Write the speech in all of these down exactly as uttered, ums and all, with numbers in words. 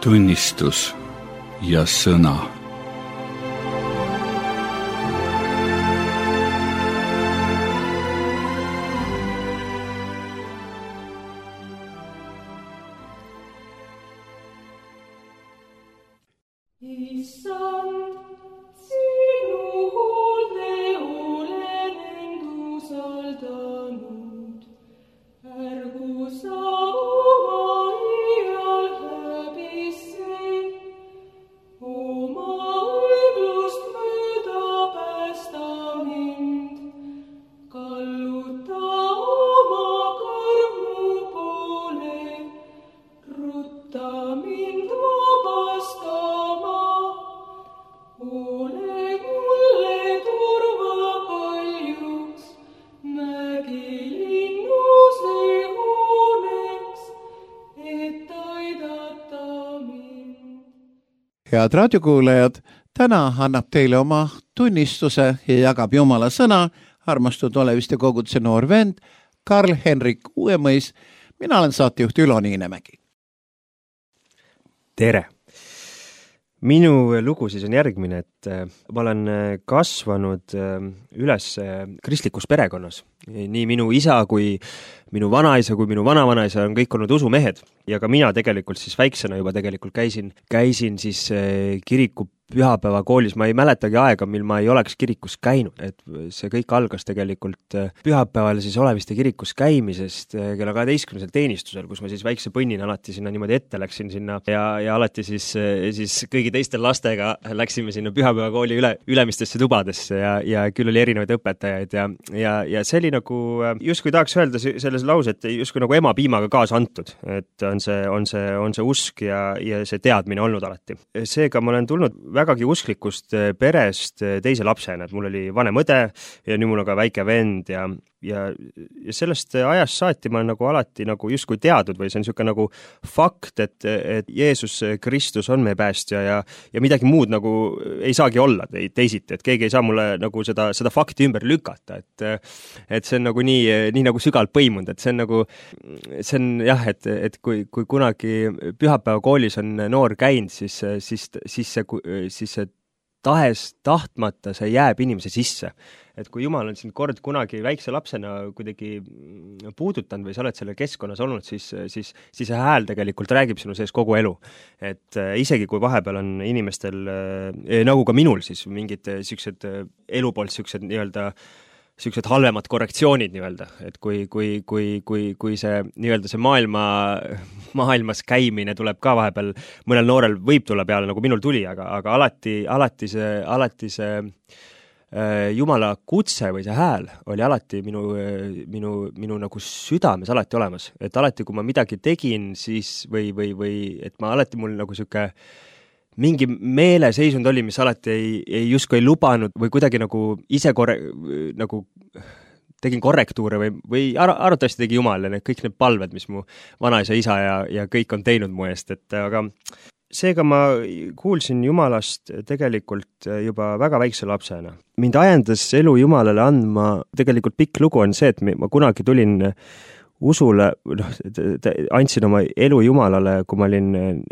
tunnistus ja sõna. Head raadiokuulajad, täna annab teile oma tunnistuse ja jagab Jumala sõna armastatud Oleviste koguduse noor vend Karl-Henrik Uuemõis. Mina olen saatejuht Ülo Niinemägi. Tere! Minu lugu siis on järgmine, et ma olen kasvanud üles kristlikus perekonnas. Nii minu isa kui minu vanaisa kui minu vanavanaisa on kõik olnud usumehed ja ka mina tegelikult siis väiksena juba tegelikult käisin, käisin siis kiriku pühapäeva koolis. Ma ei mäletagi aega, mil ma ei oleks kirikus käinud, et see kõik algas tegelikult pühapäeval siis Oleviste kirikus käimisest kella kaheteistkümnendal teenistusel, kus ma siis väikse põnnina alati sinna niimoodi ette läksin sinna ja, ja alati siis, siis kõigi teistel lastega läksime sinna pühapäeva kooli üle, ülemistesse tubadesse ja, ja küll oli erinevaid õpetajaid ja, ja, ja see oli nagu, justkui tahaks öelda selles lause, et justkui nagu ema piimaga kaasa antud, et on see, on see, on see usk ja, ja see teadmine olnud alati. Seega ma olen tulnud vägagi usklikust perest teise lapsena, et mul oli vanem õde ja nüüd mul on ka väike vend ja, ja, ja sellest ajast saati ma olen nagu alati nagu justkui teadnud või see on niisugune nagu fakt, et, et Jeesus Kristus on meie päästja ja, ja midagi muud nagu ei saagi olla teisiti, et keegi ei saa mulle nagu seda, seda fakti ümber lükata, et, et see on nagu nii, nii nagu sügavalt põimunud, et see on nagu, see on jah, et, et kui, kui kunagi pühapäeva koolis on noor käinud, siis, siis, siis see, siis see tahes tahtmata see jääb inimese sisse. Et kui Jumal on sind kord kunagi väikse lapsena kuidagi puudutanud või sa oled selle keskkonnas olnud, siis, siis, siis see hääl tegelikult räägib sinu sees kogu elu. Et isegi kui vahepeal on inimestel, nagu ka minul siis, mingid siuksed elu poolt siuksed nii-öelda siuksed halvemad korrektsioonid nii-öelda, et kui, kui, kui, kui, kui see nii-öelda see maailma, maailmas käimine tuleb ka vahepeal, mõnel noorel võib tulla peale, nagu minul tuli, aga, aga alati, alati see, alati see äh, Jumala kutse või see hääl oli alati minu, minu, minu nagu südames alati olemas. Et alati, kui ma midagi tegin, siis või, või, või et ma alati mul nagu siuke mingi meeleseisund oli, mis alati ei, ei justkui ei lubanud või kuidagi nagu ise korre, nagu tegin korrektuure või, või ar- arvatavasti tegi Jumal ja need, kõik need palved, mis mu vanaisa, isa ja, ja kõik on teinud mu eest, et aga seega ma kuulsin Jumalast tegelikult juba väga väikse lapsena. Mind ajendas elu Jumalale andma, tegelikult pikk lugu on see, et ma kunagi tulin usule, noh, andsin oma elu Jumalale, kui ma olin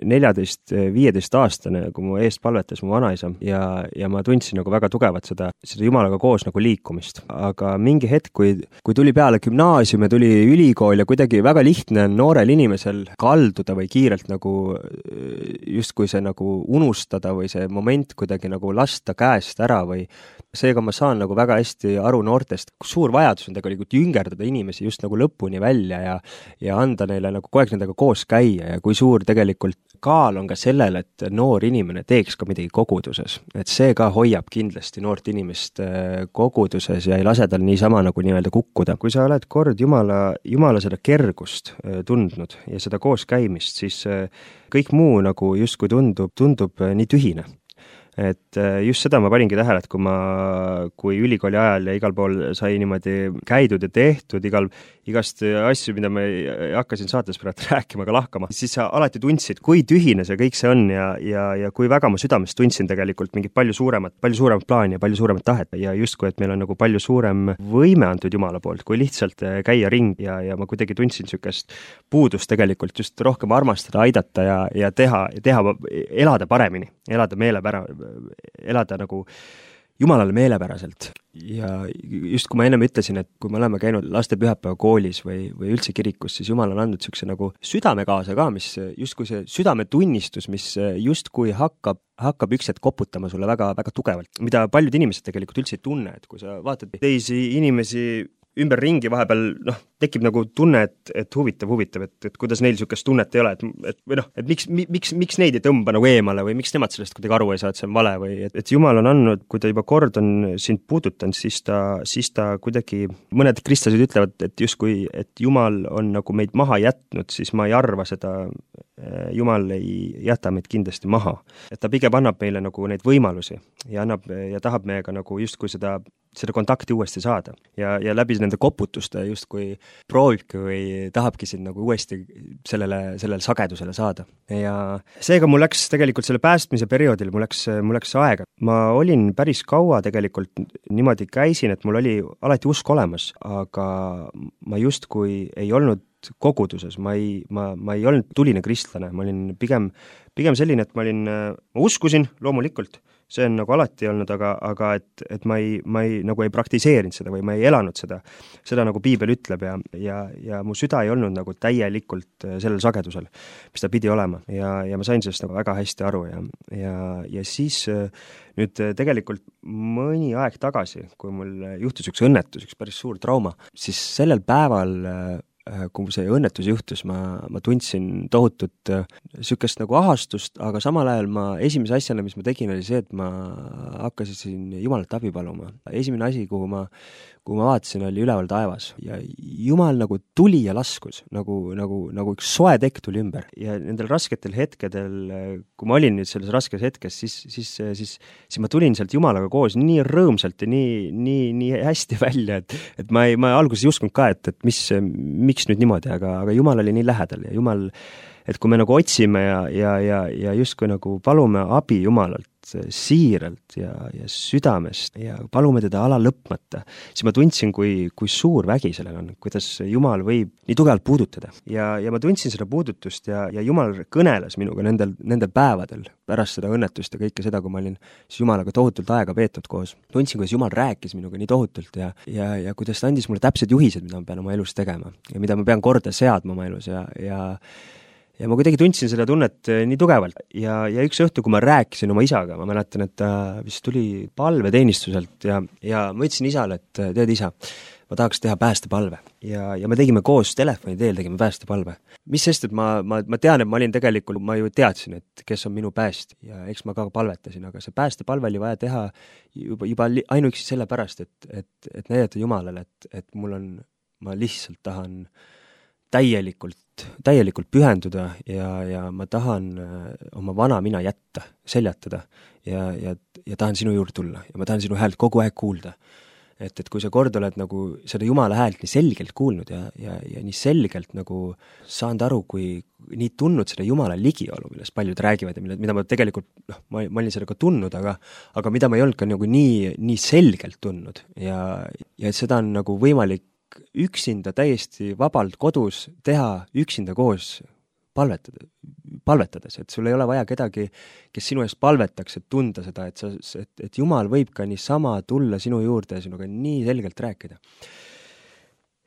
neljateist viieteist aastane, kui mu eest palvetas mu vanaisa ja, ja ma tundsin nagu väga tugevat seda, seda Jumalaga koos nagu liikumist. Aga mingi hetk, kui, kui tuli peale gümnaasium ja tuli ülikool ja kuidagi väga lihtne on noorel inimesel kalduda või kiirelt nagu justkui see nagu unustada või see moment kuidagi nagu lasta käest ära või seega ma saan nagu väga hästi aru noortest, kus suur vajadus on tegelikult jüngerdada inimesi just nagu lõpuni välja ja, ja anda neile nagu kogu aeg nendega koos käia ja kui suur tegelikult kaal on ka sellel, et noor inimene teeks ka midagi koguduses. Et see ka hoiab kindlasti noort inimest koguduses ja ei lase tal niisama nagu nii-öelda kukkuda. Kui sa oled kord Jumala, Jumala seda kergust tundnud ja seda koos käimist, siis kõik muu nagu justkui tundub, tundub nii tühine. et just seda ma paningi tähele, et kui ma, kui ülikooli ajal ja igal pool sai niimoodi käidud ja tehtud, igal, igast asju, mida ma hakkasin saates praegu rääkima, aga lahkama, siis sa alati tundsid, kui tühine see kõik see on ja, ja, ja kui väga ma südames tundsin tegelikult mingit palju suuremat, palju suuremat plaani ja palju suuremat tahet ja justkui, et meil on nagu palju suurem võime antud Jumala poolt, kui lihtsalt käia ring ja, ja ma kuidagi tundsin sükest puudust tegelikult just rohkem armastada, aidata ja, ja teha, teha, elada paremini, elada meelepära, elada nagu Jumalale meelepäraselt. Ja just kui ma ennem ütlesin, et kui me oleme käinud laste pühapäeva koolis või, või üldse kirikus, siis Jumal on andnud sükse nagu südame kaasa ka, mis justkui see südametunnistus, mis justkui hakkab, hakkab üks hetk koputama sulle väga, väga tugevalt, mida paljud inimesed tegelikult üldse ei tunne, et kui sa vaatad teisi inimesi ümber ringi vahepeal, noh, tekib nagu tunne, et, et huvitav, huvitav, et, et kuidas neil sükest tunnet ei ole, et, et või noh, et miks, miks, miks neid ei tõmba nagu eemale või miks nemad sellest kuidagi aru ei saa, et see on vale või et, et Jumal on andnud, kui ta juba kord on sind puudutanud, siis ta, siis ta kuidagi, mõned kristlased ütlevad, et justkui, et Jumal on nagu meid maha jätnud, siis ma ei arva seda, Jumal ei jäta meid kindlasti maha. Et ta pigem annab meile nagu neid võimalusi ja annab ja tahab meiega nagu justkui seda, seda kontakti uuesti saada ja, ja läbi nende koputuste justkui proovibki või tahabki sind nagu uuesti sellele, sellele sagedusele saada. Ja seega mul läks tegelikult selle päästmise perioodil, mul läks, mul läks aega. Ma olin päris kaua tegelikult niimoodi käisin, et mul oli alati usk olemas, aga ma justkui ei olnud koguduses, ma ei, ma, ma ei olnud tuline kristlane, ma olin pigem, pigem selline, et ma olin, ma uskusin loomulikult, see on nagu alati olnud, aga, aga et, et ma ei, ma ei, nagu ei praktiseerinud seda või ma ei elanud seda, seda nagu piibel ütleb ja, ja, ja mu süda ei olnud nagu täielikult sellel sagedusel, mis ta pidi olema ja, ja ma sain sellest nagu väga hästi aru ja, ja, ja siis nüüd tegelikult mõni aeg tagasi, kui mul juhtus üks õnnetus, üks päris suur trauma, siis sellel päeval kui see õnnetus juhtus, ma, ma tundsin tohutut sükest nagu ahastust, aga samal ajal ma esimese asjana, mis ma tegin, oli see, et ma hakkasin Jumalalt abi paluma. Esimene asi, kuhu ma, kuhu ma vaatasin, oli üleval taevas ja Jumal nagu tuli ja laskus, nagu, nagu, nagu üks soe tekk tuli ümber ja nendel rasketel hetkedel, kui ma olin nüüd selles raskes hetkes, siis, siis, siis, siis ma tulin sealt Jumalaga koos nii rõõmsalt ja nii, nii, nii hästi välja, et, et ma, ei, ma alguses ei uskunud ka, et, et mis, miks nüüd niimoodi, aga, aga Jumal oli nii lähedal ja Jumal, et kui me nagu otsime ja, ja, ja, ja justkui nagu palume abi Jumalalt siiralt ja, ja südamest ja palume teda ala lõpmata, siis ma tundsin, kui, kui suur vägi sellel on, kuidas Jumal võib nii tugevalt puudutada. Ja, ja ma tundsin seda puudutust ja, ja Jumal kõneles minuga nendel, nendel päevadel pärast seda õnnetust ja kõike seda, kui ma olin siis Jumalaga tohutult aega veetud koos. Tundsin, kuidas Jumal rääkis minuga nii tohutult ja, ja, ja kuidas ta andis mulle täpsed juhised, mida ma pean oma elus tegema ja mida ma pean korda seadma oma elus ja, ja ja ma kuidagi tundsin seda tunnet nii tugevalt ja, ja üks õhtu, kui ma rääkisin oma isaga, ma mäletan, et ta vist tuli palveteenistuselt ja, ja ma ütlesin isale, et tead isa, ma tahaks teha päästepalve ja, ja me tegime koos telefoni teel, tegime päästepalve. Mis sest, et ma, ma, ma tean, et ma olin tegelikult, ma ju teadsin, et kes on minu pääst ja eks ma ka palvetasin, aga see päästepalve oli vaja teha juba, juba ainuüksi selle pärast, et, et, et näidata Jumalale, et, et mul on, ma lihtsalt tahan täielikult, täielikult pühenduda ja, ja ma tahan oma vana mina jätta, seljatada ja, ja, ja tahan sinu juurde tulla ja ma tahan sinu häält kogu aeg kuulda. Et, et kui sa kord oled nagu seda Jumala häält nii selgelt kuulnud ja, ja, ja nii selgelt nagu saanud aru, kui nii tundnud seda Jumala ligiolu, millest paljud räägivad ja mida ma tegelikult, noh, ma, ma olin seda ka tundnud, aga, aga mida ma ei olnud ka nagu nii, nii selgelt tundnud ja, ja seda on nagu võimalik üksinda täiesti vabalt kodus teha üksinda koos palvetada, palvetades, et sul ei ole vaja kedagi, kes sinu eest palvetaks, et tunda seda, et, sa, et, et Jumal võib ka niisama tulla sinu juurde ja sinuga nii selgelt rääkida.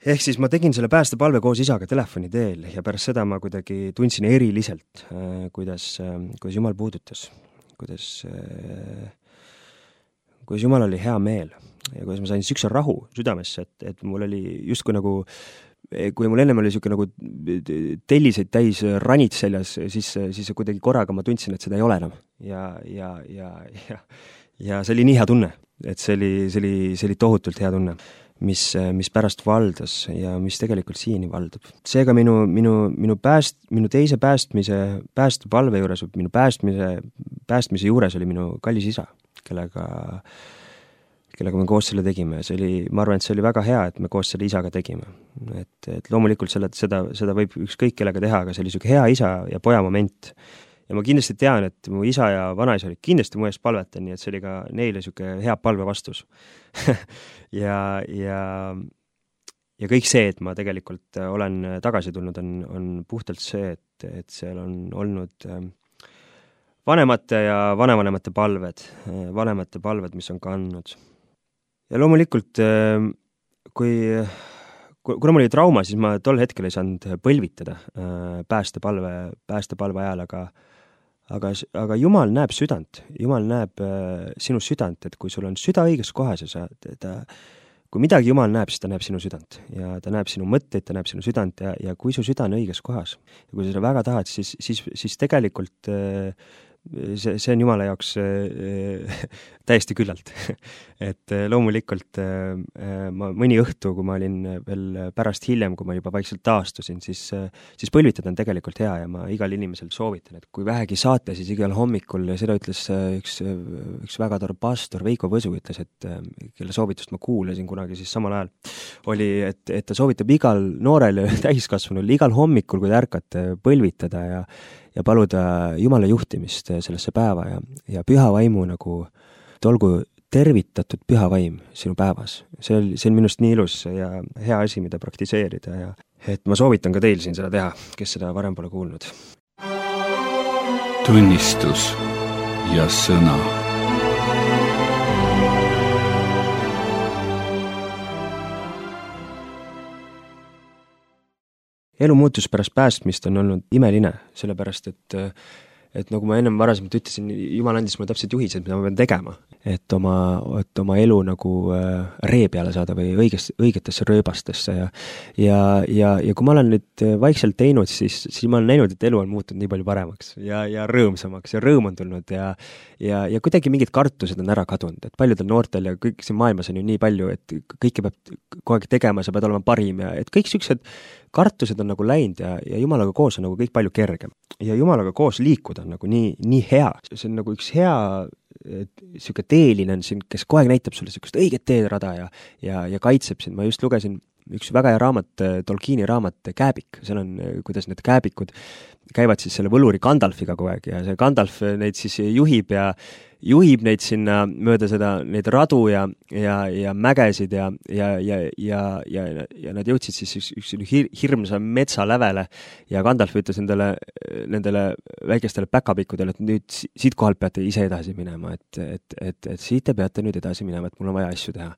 Ehk siis ma tegin selle päästepalve koos isaga telefoni teel ja pärast seda ma kuidagi tundsin eriliselt, kuidas, kuidas Jumal puudutas, kuidas, kuidas Jumal oli hea meel ja kuidas ma sain sükse rahu südamesse, et, et mul oli justkui nagu, kui mul ennem oli siuke nagu telliseid täis ranid seljas, siis, siis kuidagi korraga ma tundsin, et seda ei ole enam. Ja, ja, ja, ja, ja see oli nii hea tunne, et see oli, see oli, see oli tohutult hea tunne. mis, mis pärast valdas ja mis tegelikult siiani valdab. Seega minu, minu, minu pääst, minu teise päästmise, päästepalve juures, minu päästmise, päästmise juures oli minu kallis isa, kellega kellega me koos selle tegime. See oli, ma arvan, et see oli väga hea, et me koos selle isaga tegime. Et, et loomulikult selle, seda, seda võib ükskõik kellega teha, aga see oli selline hea isa ja poja moment. Ja ma kindlasti tean, et mu isa ja vanaisa olid kindlasti mu eest palvetan, nii et see oli ka neile selline hea palve vastus. ja, ja, ja kõik see, et ma tegelikult olen tagasi tulnud, on, on puhtalt see, et, et seal on olnud vanemate ja vanevanemate palved, vanemate palved, mis on kandnud. Ja loomulikult, kui, kuna mul oli trauma, siis ma tol hetkel ei saanud põlvitada päästepalve, päästepalve ajal, aga, aga, aga Jumal näeb südant. Jumal näeb sinu südant, et kui sul on süda õiges kohas ja sa, ta, kui midagi Jumal näeb, siis ta näeb sinu südant. Ja ta näeb sinu mõtteid, ta näeb sinu südant ja, ja kui su süda on õiges kohas ja kui sa seda väga tahad, siis, siis, siis tegelikult see, see on Jumala jaoks äh, täiesti küllalt. et loomulikult äh, ma mõni õhtu, kui ma olin veel pärast hiljem, kui ma juba vaikselt taastusin, siis, äh, siis põlvitada on tegelikult hea ja ma igal inimesel soovitan, et kui vähegi saate, siis igal hommikul, ja seda ütles äh, üks, üks väga tore pastor, Veiko Võsu ütles, et äh, kelle soovitust ma kuulasin kunagi siis samal ajal, oli, et, et ta soovitab igal noorel täiskasvanul igal hommikul, kui te ärkate, põlvitada ja ja paluda Jumala juhtimist sellesse päeva ja, ja püha vaimu nagu olgu tervitatud püha vaim sinu päevas. See on, see on minust nii ilus ja hea asi, mida praktiseerida ja et ma soovitan ka teil siin seda teha, kes seda varem pole kuulnud. Tunnistus ja sõna. Elu muutus pärast päästmist on olnud imeline, sellepärast et, et nagu ma ennem varasemalt ütlesin, Jumal andis mulle täpselt juhised, mida ma pean tegema, et oma, et oma elu nagu ree peale saada või õiges, õigetesse rööbastesse ja, ja, ja, ja kui ma olen nüüd vaikselt teinud, siis, siis ma olen näinud, et elu on muutunud nii palju paremaks ja, ja rõõmsamaks ja rõõm on tulnud ja, ja, ja kuidagi mingid kartused on ära kadunud, et paljudel noortel ja kõik siin maailmas on ju nii palju, et kõike peab kogu aeg tegema, sa pead olema parim ja et kõik sellised kartused on nagu läinud ja, ja Jumalaga koos on nagu kõik palju kergem. Ja Jumalaga koos liikuda on nagu nii, nii hea. See on nagu üks hea siuke teeline on siin, kes kogu aeg näitab sulle siukest õiget teedrada ja, ja, ja kaitseb sind. Ma just lugesin üks väga hea raamat, Tolkieni raamat Kääbik. Seal on, kuidas need kääbikud käivad siis selle võluri Gandalfiga kogu aeg ja see Gandalf neid siis juhib ja juhib neid sinna mööda seda, neid radu ja, ja, ja mägesid ja, ja, ja, ja, ja, ja nad jõudsid siis üks, üks hir, hirmsa metsa lävele ja Gandalf ütles nendele, nendele väikestele päkapikkudele, et nüüd siit kohalt peate ise edasi minema, et, et, et, et siit te peate nüüd edasi minema, et mul on vaja asju teha.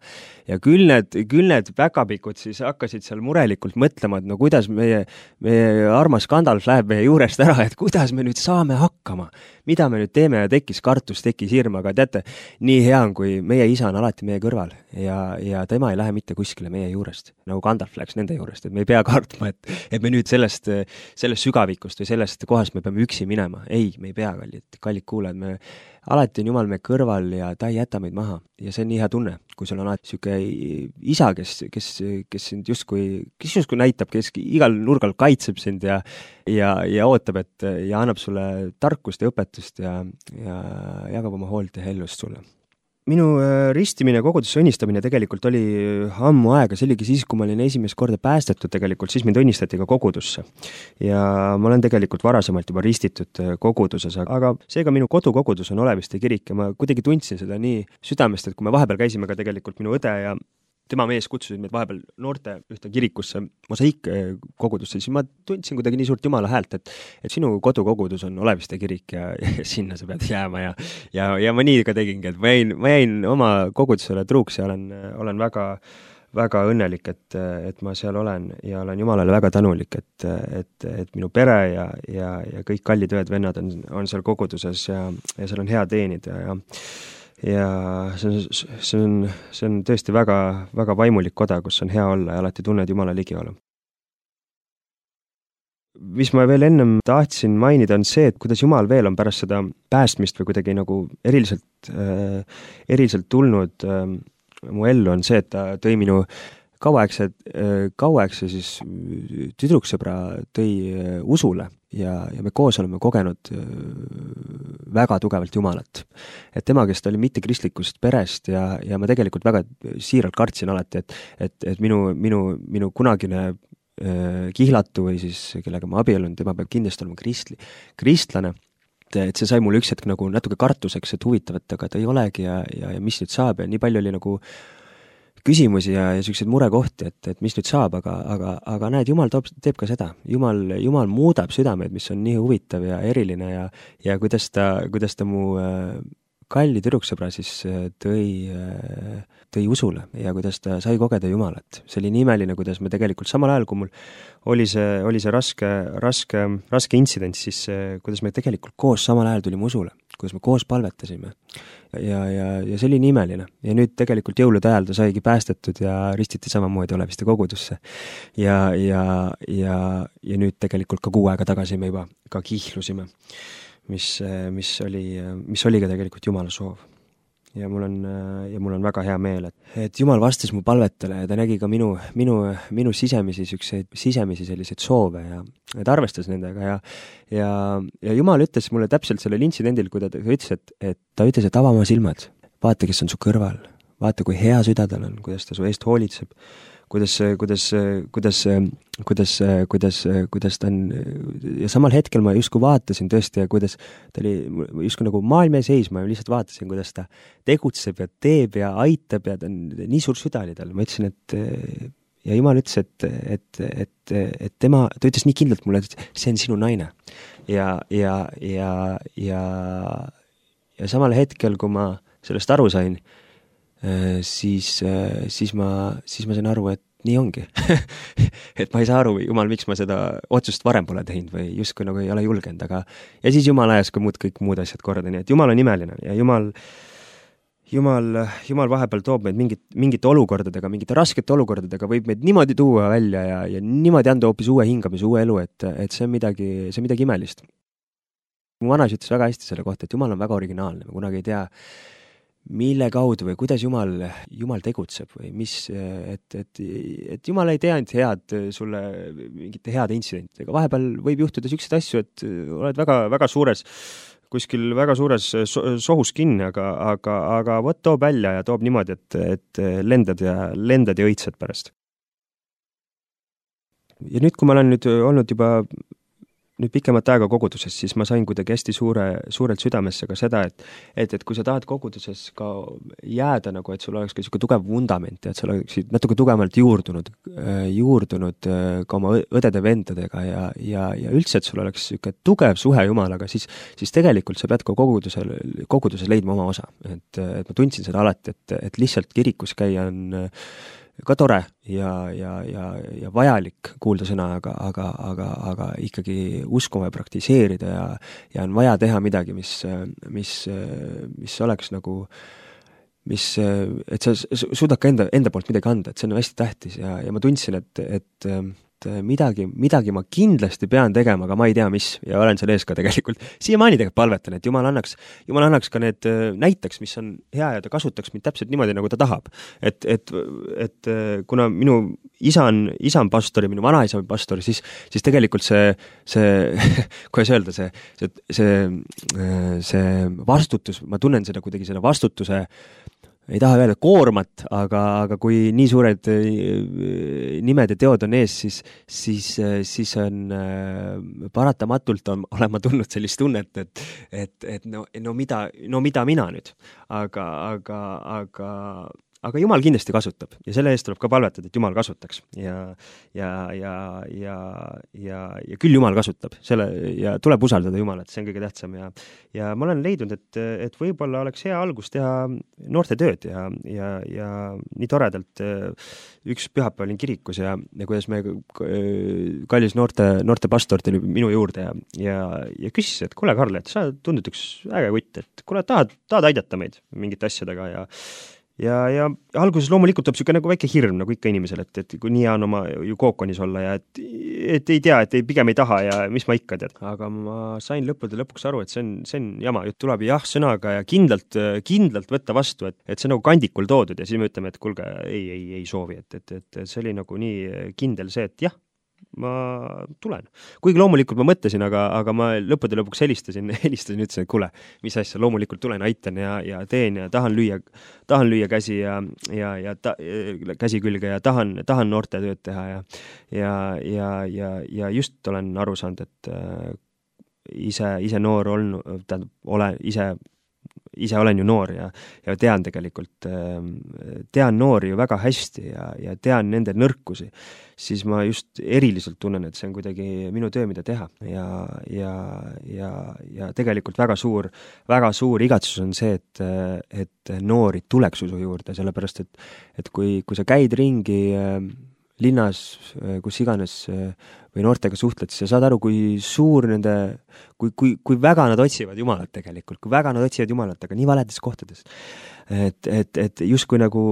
Ja küll need, küll need päkapikud siis hakkasid seal murelikult mõtlema, et no kuidas meie, meie armas Gandalf läheb meie juurest ära, et kuidas me nüüd saame hakkama, mida me nüüd teeme ja tekkis kartus, tekkis hirm, aga teate, nii hea on, kui meie isa on alati meie kõrval ja, ja tema ei lähe mitte kuskile meie juurest, nagu Gandalf läks nende juurest, et me ei pea kartma, et, et me nüüd sellest, sellest sügavikust või sellest kohast me peame üksi minema. Ei, me ei pea, kallid, kallid kuulajad, me alati on Jumal meie kõrval ja ta ei jäta meid maha ja see on nii hea tunne, kui sul on alati siuke isa, kes, kes, kes sind justkui, kes justkui näitab, kes igal nurgal kaitseb sind ja, ja, ja ootab, et ja annab sulle tarkust ja õpetust ja, ja jagab oma hoolt ja hellust sulle. Minu ristimine, kogudusse õnnistamine tegelikult oli ammu aega, see oligi siis, kui ma olin esimest korda päästetud tegelikult, siis mind õnnistati ka kogudusse. Ja ma olen tegelikult varasemalt juba ristitud koguduses, aga seega minu kodukogudus on Oleviste kirik ja ma kuidagi tundsin seda nii südamest, et kui me vahepeal käisime ka tegelikult minu õde ja tema mees kutsusid meid vahepeal noorte ühte kirikusse, mosaik kogudusse, siis ma tundsin kuidagi nii suurt Jumala häält, et, et sinu kodukogudus on Oleviste kirik ja, ja sinna sa pead jääma ja, ja, ja ma nii ka tegingi, et ma jäin, ma jäin oma kogudusele truuks ja olen, olen väga, väga õnnelik, et, et ma seal olen ja olen Jumalale väga tänulik, et, et, et minu pere ja, ja, ja kõik kallid õed-vennad on, on seal koguduses ja, ja seal on hea teenida ja ja see on, see on, see on tõesti väga, väga vaimulik koda, kus on hea olla ja alati tunned Jumala ligiolu. Mis ma veel ennem tahtsin mainida on see, et kuidas Jumal veel on pärast seda päästmist või kuidagi nagu eriliselt, äh, eriliselt tulnud äh, mu ellu, on see, et ta tõi minu kauaaegse, kauaaegse siis tüdruksõbra tõi usule ja, ja me koos oleme kogenud väga tugevalt Jumalat. Et tema, kes ta oli mitte kristlikust perest ja, ja ma tegelikult väga siiralt kartsin alati, et, et, et minu, minu, minu kunagine kihlatu või siis kellega ma abielun, tema peab kindlasti olema kristli, kristlane, et see sai mulle üks hetk nagu natuke kartuseks, et huvitav, et aga ta ei olegi ja, ja, ja mis nüüd saab ja nii palju oli nagu küsimusi ja, ja selliseid murekohti, et, et mis nüüd saab, aga, aga, aga näed, Jumal toob, teeb ka seda. Jumal, Jumal muudab südameid, mis on nii huvitav ja eriline ja, ja kuidas ta, kuidas ta mu kalli tüdruksõbra siis tõi, tõi usule ja kuidas ta sai kogeda Jumalat. See oli nii imeline, kuidas me tegelikult samal ajal, kui mul oli see, oli see raske, raske, raske intsident, siis kuidas me tegelikult koos samal ajal tulime usule, kuidas me koos palvetasime. Ja, ja, ja see oli nii imeline. Ja nüüd tegelikult jõulude ajal ta saigi päästetud ja ristiti samamoodi Oleviste kogudusse. Ja, ja, ja, ja nüüd tegelikult ka kuu aega tagasi me juba ka kihlusime. Mis, mis oli, mis oli ka tegelikult Jumala soov. Ja mul on, ja mul on väga hea meel, et, et Jumal vastas mu palvetele ja ta nägi ka minu, minu, minu sisemisi, sükseid, sisemisi selliseid soove ja ta arvestas nendega ja, ja, ja Jumal ütles mulle täpselt sellel intsidendil, kui ta ütles, et, et ta ütles, et ava oma silmad, vaata, kes on su kõrval, vaata, kui hea süda tal on, kuidas ta su eest hoolitseb, kuidas, kuidas, kuidas, kuidas, kuidas, kuidas ta on ja samal hetkel ma justkui vaatasin tõesti ja kuidas ta oli justkui nagu maailma seis, ma lihtsalt vaatasin, kuidas ta tegutseb ja teeb ja aitab ja ta on nii suur süda oli tal. Ma ütlesin, et ja Jumal ütles, et, et, et, et tema, ta ütles nii kindlalt mulle, et see on sinu naine ja, ja, ja, ja, ja samal hetkel, kui ma sellest aru sain, siis, siis, ma, siis ma sain aru, et nii ongi. Et ma ei saa aru, Jumal, miks ma seda otsust varem pole teinud või justkui nagu ei ole julgenud, aga ja siis Jumal ajas ka muud kõik muud asjad korda, nii et Jumal on imeline ja Jumal, Jumal, Jumal vahepeal toob meid mingit, mingite olukordadega, mingite raskete olukordadega, võib meid niimoodi tuua välja ja, ja niimoodi anda hoopis uue hingamise, uue elu, et, et see on midagi, see on midagi imelist. Mu vanas ütles väga hästi selle kohta, et Jumal on väga originaalne, ma kunagi ei tea, mille kaudu või kuidas Jumal, Jumal tegutseb või mis, et, et, et Jumal ei tee ainult head sulle mingite heade intsidentidega. Vahepeal võib juhtuda selliseid asju, et oled väga, väga suures, kuskil väga suures sohus kinni, aga, aga, aga võt toob välja ja toob niimoodi, et, et lendad ja, lendad ja õitsed pärast. Ja nüüd, kui ma olen nüüd olnud juba nüüd pikemat aega koguduses, siis ma sain kuidagi hästi suure, suurelt südamesse ka seda, et, et, et kui sa tahad koguduses ka jääda nagu, et sul oleks ka selline tugev vundament ja et sa oleksid natuke tugevalt juurdunud, juurdunud ka oma õdede-vendadega ja, ja, ja üldse, et sul oleks selline tugev suhe Jumalaga, siis, siis tegelikult sa pead ka kogudusel, koguduses leidma oma osa. Et, et ma tundsin seda alati, et, et lihtsalt kirikus käia on ka tore ja, ja, ja, ja vajalik kuulda sõna, aga, aga, aga, aga ikkagi uskuma ja praktiseerida ja, ja on vaja teha midagi, mis, mis, mis oleks nagu, mis, et sa suudad ka enda, enda poolt midagi anda, et see on hästi tähtis ja, ja ma tundsin, et, et midagi, midagi ma kindlasti pean tegema, aga ma ei tea, mis ja olen seal ees ka tegelikult. Siiamaani tegelikult palvetan, et Jumal annaks, Jumal annaks ka need näiteks, mis on hea ja ta kasutaks mind täpselt niimoodi, nagu ta tahab. Et, et, et kuna minu isa on, isa on pastor ja minu vanaisa on pastor, siis, siis tegelikult see, see kuidas öelda, see, see, see, see vastutus, ma tunnen seda kuidagi selle vastutuse ei taha öelda koormat, aga, aga kui nii suured nimed ja teod on ees, siis, siis, siis on paratamatult on, olen ma tundnud sellist tunnet, et, et, et no, no, mida, no mida mina nüüd, aga, aga, aga aga Jumal kindlasti kasutab ja selle eest tuleb ka palvetada, et Jumal kasutaks ja, ja, ja, ja, ja, ja küll Jumal kasutab selle ja tuleb usaldada Jumalat, see on kõige tähtsam ja, ja ma olen leidnud, et, et võib-olla oleks hea algus teha noorte tööd ja, ja, ja nii toredalt üks pühapäev olin kirikus ja, ja kuidas me kallis noorte, noorte pastor tuli minu juurde ja, ja, ja küsis, et kuule Karl, et sa tundud üks äge kutt, et kuule tahad, tahad aidata meid mingite asjadega ja ja, ja alguses loomulikult tuleb siuke nagu väike hirm nagu ikka inimesel, et, et kui nii on oma ju kookonis olla ja et, et ei tea, et ei, pigem ei taha ja mis ma ikka tead. Aga ma sain lõppude lõpuks aru, et see on, see on jama, jutt tuleb jah sõnaga ja kindlalt, kindlalt võtta vastu, et, et see on nagu kandikul toodud ja siis me ütleme, et kulge, ei, ei, ei soovi, et, et, et see oli nagu nii kindel see, et jah, ma tulen. Kuigi loomulikult ma mõtlesin, aga, aga ma lõppude lõpuks helistasin, helistasin ja ütlesin, et kuule, mis asja, loomulikult tulen, aitan ja, ja teen ja tahan lüüa, tahan lüüa käsi ja, ja, ja ta, käsi külge ja tahan, tahan noorte tööd teha ja, ja, ja, ja, ja just olen aru saanud, et äh, ise, ise noor olnud, tähendab, ole ise ise olen ju noor ja, ja tean tegelikult, tean noori ju väga hästi ja, ja tean nende nõrkusi, siis ma just eriliselt tunnen, et see on kuidagi minu töö, mida teha ja, ja, ja, ja tegelikult väga suur, väga suur igatsus on see, et, et noori tuleks su juurde, sellepärast et, et kui, kui sa käid ringi linnas, kus iganes või noortega suhtled, siis sa saad aru, kui suur nende, kui, kui, kui väga nad otsivad Jumalat tegelikult, kui väga nad otsivad Jumalat, aga nii valedes kohtades. Et, et, et justkui nagu,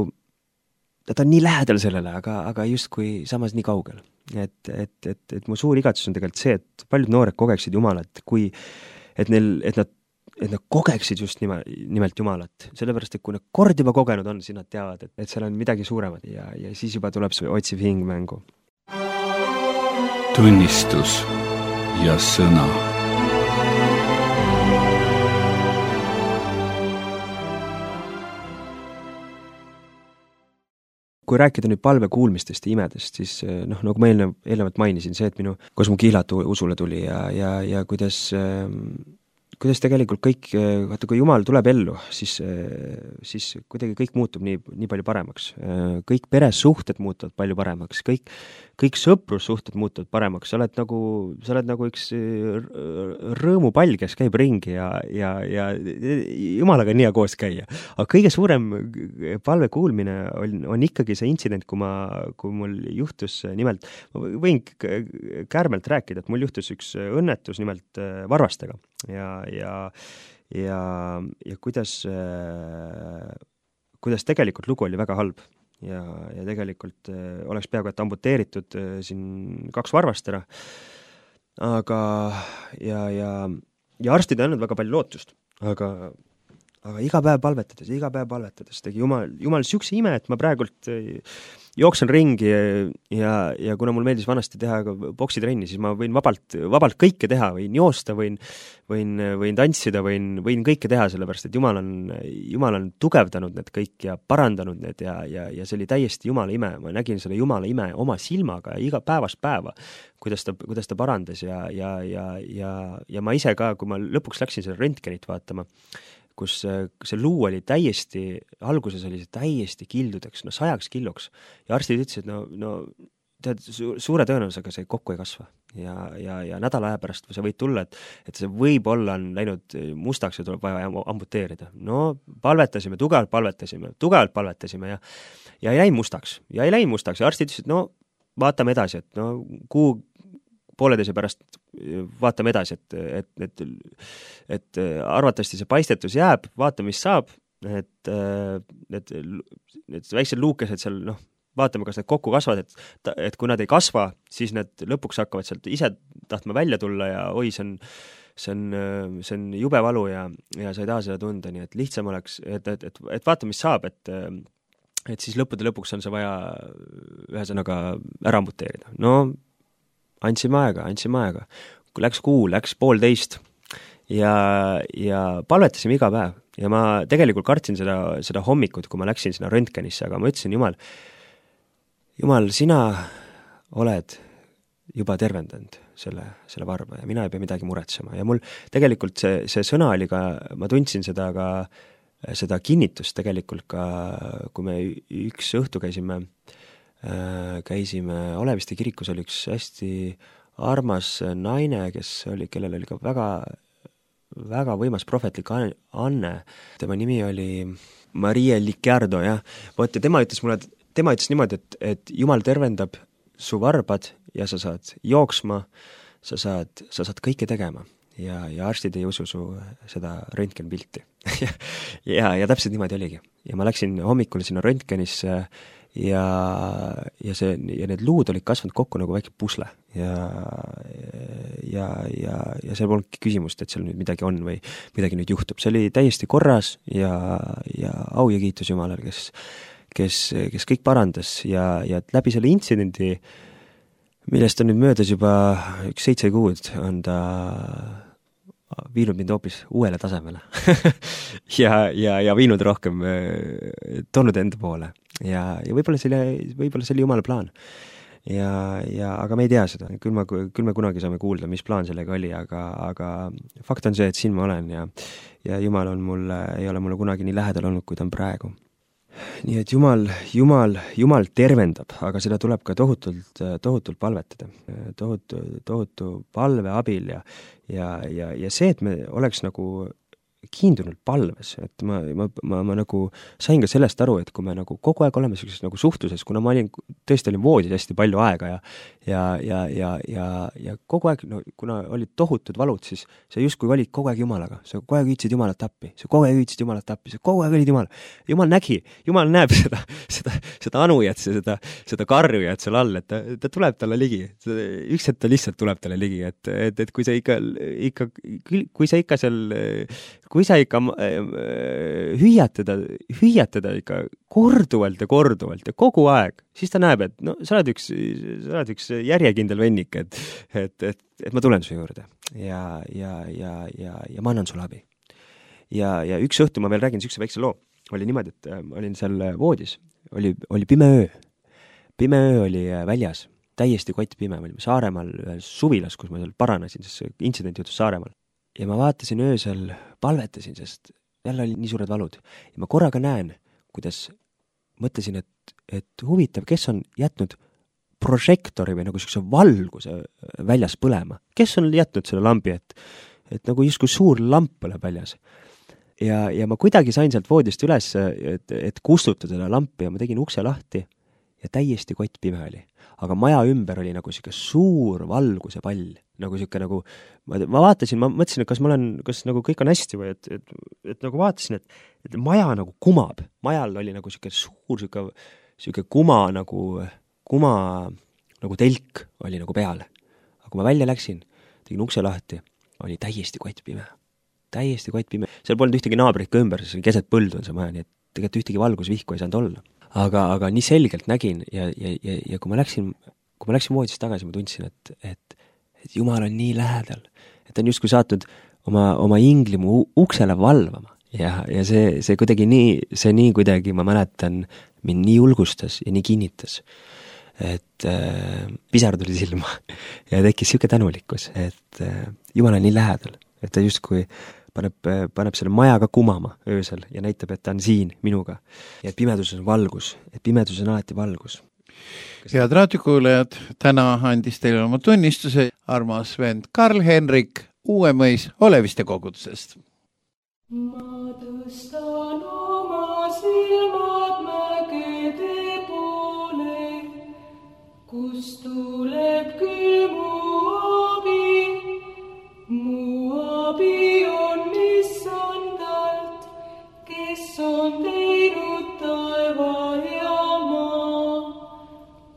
ta on nii lähedal sellele, aga, aga justkui samas nii kaugel. Et, et, et, et mu suur igatsus on tegelikult see, et paljud noored kogeksid Jumalat, kui, et neil, et nad et nad kogeksid just nime, nimelt Jumalat. Sellepärast, et kui nad kord juba kogenud on, siis nad teavad, et, et seal on midagi suuremad ja, ja siis juba tuleb see otsiv hing mängu. Tunnistus ja sõna. Kui rääkida nüüd palve kuulmistest ja imedest, siis noh, nagu ma eelnev, eelnevalt mainisin, see, et minu kosmokiilat usule tuli ja, ja, ja kuidas kuidas tegelikult kõik, vaata kui Jumal tuleb ellu, siis, siis kuidagi kõik muutub nii, nii palju paremaks. Kõik peresuhted muutuvad palju paremaks, kõik, kõik sõprussuhted muutuvad paremaks, sa oled nagu, sa oled nagu üks rõõmupall, kes käib ringi ja, ja, ja Jumalaga on hea koos käia. Aga kõige suurem palve kuulmine on, on ikkagi see intsident, kui, ma, kui mul juhtus nimelt, ma võin kärmelt rääkida, et mul juhtus üks õnnetus nimelt varvastega. Ja, ja, ja, ja kuidas, kuidas tegelikult lugu oli väga halb ja, ja tegelikult oleks peaaegu et amputeeritud siin kaks varvast ära, aga ja, ja, ja arstid on andnud väga palju lootust, aga, aga iga päev palvetades, iga päev palvetades tegi Jumal, Jumal siukse ime, et ma praegult jooksen ringi ja, ja kuna mul meeldis vanasti teha boksitrenni, siis ma võin vabalt, vabalt kõike teha, võin joosta, võin, võin, võin tantsida, võin, võin kõike teha, sellepärast et Jumal on, Jumal on tugevdanud need kõik ja parandanud need ja, ja, ja see oli täiesti Jumala ime. Ma nägin selle Jumala ime oma silmaga iga päevast päeva, kuidas ta, kuidas ta parandas ja, ja, ja, ja, ja ma ise ka, kui ma lõpuks läksin selle röntgenit vaatama, kus see luu oli täiesti, alguses oli see täiesti kildudeks, no sajaks killoks. Ja arstid ütlesid, et no, no tead, suure tõenäosusega see kokku ei kasva. Ja, ja, ja nädala aja pärast see võid tulla, et, et see võib-olla on läinud mustaks ja tuleb vaja amputeerida. No palvetasime, tugevalt palvetasime, tugevalt palvetasime ja, ja ei läinud mustaks. Ja ei läinud mustaks ja arstid ütlesid, no vaatame edasi, et no kuu pooleteise pärast vaatame edasi, et, et, et, et arvatavasti see paistetus jääb, vaatame, mis saab, et need, need väiksed luukesed seal, noh, vaatame, kas need kokku kasvad, et, et kui nad ei kasva, siis need lõpuks hakkavad sealt ise tahtma välja tulla ja oi, see on, see on, see on jube valu ja, ja sa ei taha seda tunda, nii et lihtsam oleks, et, et, et, et vaatame, mis saab, et et siis lõppude lõpuks on see vaja ühesõnaga ära amputeerida. No andsime aega, andsime aega. Läks kuu, läks poolteist ja, ja palvetasime iga päev. Ja ma tegelikult kartsin seda, seda hommikut, kui ma läksin sinna röntgenisse, aga ma ütlesin, Jumal, Jumal, sina oled juba tervendanud selle, selle varba ja mina ei pea midagi muretsema. Ja mul tegelikult see, see sõna oli ka, ma tundsin seda ka, seda kinnitust tegelikult ka, kui me üks õhtu käisime käisime Oleviste kirikus, oli üks hästi armas naine, kes oli, kellel oli ka väga, väga võimas prohvetlik anne. Tema nimi oli Maria Licciardo, jah. Võt, ja tema ütles mulle, tema ütles niimoodi, et, et Jumal tervendab su varbad ja sa saad jooksma, sa saad, sa saad kõike tegema. ja, ja arstid ei usu su seda röntgenpilti ja, ja täpselt niimoodi oligi. Ja ma läksin hommikul sinna röntgenisse ja, ja see, ja need luud olid kasvanud kokku nagu väike pusle ja, ja, ja, ja seal polnudki küsimust, et seal nüüd midagi on või midagi nüüd juhtub. See oli täiesti korras ja, ja au ja kiitus Jumalale, kes, kes, kes kõik parandas ja, ja läbi selle intsidendi, millest on nüüd möödas juba üks seitse kuud, on ta viinud mind hoopis uuele tasemele ja, ja, ja viinud rohkem, toonud enda poole ja, ja võib-olla see oli, võib-olla see oli Jumala plaan. Ja, ja, aga me ei tea seda, küll, ma, küll me kunagi saame kuulda, mis plaan sellega oli, aga, aga fakt on see, et siin ma olen ja, ja Jumal on mulle, ei ole mulle kunagi nii lähedal olnud, kui ta on praegu. Nii et Jumal, Jumal, Jumal tervendab, aga seda tuleb ka tohutult, tohutult palvetada. Tohutu, tohutu palve abil ja, ja, ja, ja see, et me oleks nagu kiindunult palves, et ma, ma, ma, ma nagu sain ka sellest aru, et kui me nagu kogu aeg oleme sellises nagu suhtluses, kuna ma olin, tõesti olin voodis hästi palju aega ja, ja, ja, ja, ja, ja kogu aeg, no, kuna olid tohutud valud, siis sa justkui olid kogu aeg Jumalaga, sa kogu aeg hüüdsid Jumalat appi, sa kogu aeg hüüdsid Jumalat appi, sa kogu aeg olid Jumal. Jumal nägi, Jumal näeb seda, seda, seda anujat, seda, seda karjujat seal all, et ta, ta tuleb talle ligi, üks hetk ta lihtsalt tuleb talle ligi, et, et, et kui sa ikka, ikka, kui sa ikka seal kui sa ikka hüüad teda, hüüad teda ikka korduvalt ja korduvalt ja kogu aeg, siis ta näeb, et no sa oled üks, sa oled üks järjekindel vennik, et, et, et, et ma tulen su juurde ja, ja, ja, ja, ja ma annan sulle abi. Ja, ja üks õhtu ma veel räägin sükse väikse loo. Oli niimoodi, et ma olin seal voodis, oli, oli pime öö. Pime öö oli väljas, täiesti kott pime, me olime Saaremaal suvilas, kus ma seal paranesin, sest see intsident juhtus Saaremaal. Ja ma vaatasin öösel, palvetasin, sest jälle oli nii suured valud. Ja ma korraga näen, kuidas mõtlesin, et, et huvitav, kes on jätnud prožektori või nagu selline valguse väljas põlema. Kes on jätnud selle lambi, et, et nagu justkui suur lamp põleb väljas. Ja, ja ma kuidagi sain sealt voodist üles, et, et kustutada seda lampi ja ma tegin ukse lahti ja täiesti kott pime oli. Aga maja ümber oli nagu siuke suur valguse pall, nagu siuke nagu, ma, ma vaatasin, ma mõtlesin, et kas ma olen, kas nagu kõik on hästi või et, et, et nagu vaatasin, et, et maja nagu kumab, majal oli nagu siuke suur, siuke, siuke kuma nagu, kuma nagu telk oli nagu peal. Aga kui ma välja läksin, tegin ukse lahti, oli täiesti kott pime, täiesti kott pime. Seal polnud ühtegi naabrit ka ümber, see keset põldu on see maja, nii et tegelikult ühtegi valgusvihku ei saanud olla. Aga, aga nii selgelt nägin ja, ja, ja, ja kui ma läksin, kui ma läksin voodist tagasi, ma tundsin, et, et, et Jumal on nii lähedal, et ta on justkui saatnud oma, oma ingli mu uksele valvama ja, ja see, see kuidagi nii, see nii kuidagi, ma mäletan, mind nii julgustas ja nii kinnitas, et äh, pisar tuli silma ja tekkis siuke tänulikkus, et äh, Jumal on nii lähedal, et ta justkui paneb, paneb selle maja ka kumama öösel ja näitab, et ta on siin minuga. Ja et pimeduses on valgus, et pimeduses on alati valgus. Head raadiokuulajad, täna andis teile oma tunnistuse armas vend Karl-Henrik Uuemõis Oleviste kogudusest. Ma tõstan oma silmad mägede poole, kus tuleb küll mu abi, mu abi on Issandalt, kes on teinud taeva ja maa.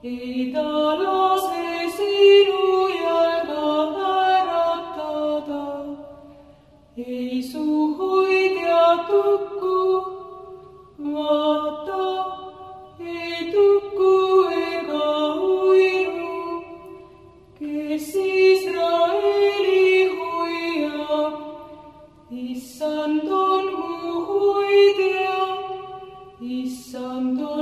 Ei ta lase sinu jalga väratada, ei su hoidja tukku, vaata, ei tukku ega uiru, kes Israeli hoiab. Issand on mu hoidja, Issand on